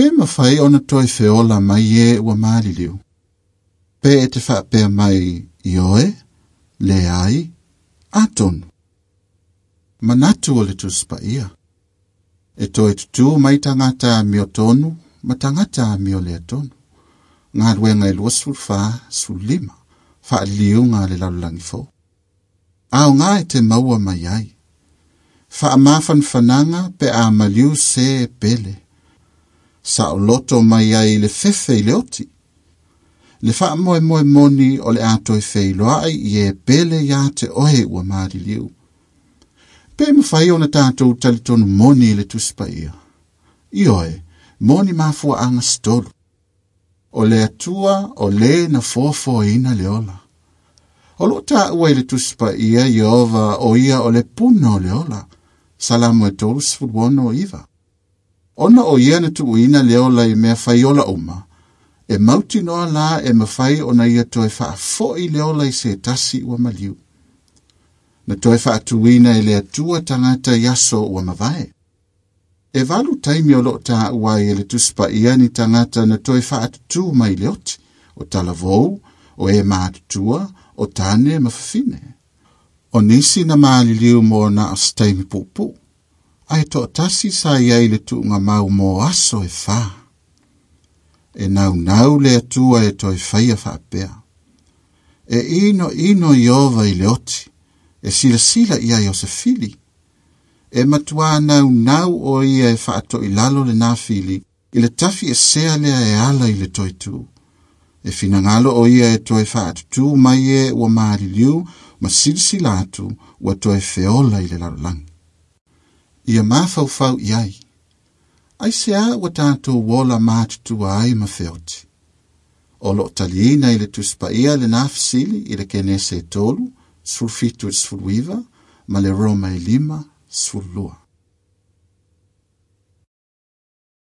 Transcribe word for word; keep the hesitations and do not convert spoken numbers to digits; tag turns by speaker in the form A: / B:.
A: Pe mawhai ona toi feola mai e ua maliliu. Pe e te whaapea mai i oe, le ai, atonu. Manatu o le tuspaia. E toe tutu mai tangata a mio tonu, ma tangata a mio lea tonu. Ngā luenga e lua sefulufa, sefululima, faaliliuga a le lalolagi fou. Aoga e te maua mai ai. Faamafanafanaga pe a maliu se e pele. Saoloto mai ai le fefe i le oti. Le faamoemoe moni o le a toe feiloai i e pele ia te oe ua maliliu. Pe mawhai ona tātou talitonu moni i le tuspaia. Ioe, moni mafuaanga se tolu. O le atua o le na foafoaina le ola. O loo taua i le tuspaia Ieova o ia o le puna o le ola. Salamo e tolu sefulu ono iva. Ona o ia na tuuina le ola i mea faiola uma, e mautinoa la e mawhai ona ia toe faafoi le ola i se tasi ua maliu. Na toe faatuina e le atua tangata i aso ua mavae. E valu taimi o loo taua ai e le tuspaia ni tangata na toe faatutu mai le oti, o talavou, o e matutua, o tane ma fafine. O nisi na maliliu mo na o se taimi puupuu. Ae toatasi sa iai le tuuga mau mo aso e whā. E naunau le atua e toe whaia whaapea. E ino ino Ieova i le oti, e silasila ia i o se fili. E matua naunau o ia e whaatoilalo le nā fili, i le tafi e sea lea e ala i le toe tū. E finagalo o ia e toe whaatutu mai e ua maliliu, ma silasila atu ua toe feola i le lalolagi. Ia mafaufau i ai. Ai se a ua tātou ola matutua ai ma feoti. O loo taliina i le tuspaia le nā fesili i le Kenese e tolu, sefulufitu i le sefuluiva, ma le Roma e lima, sefululua.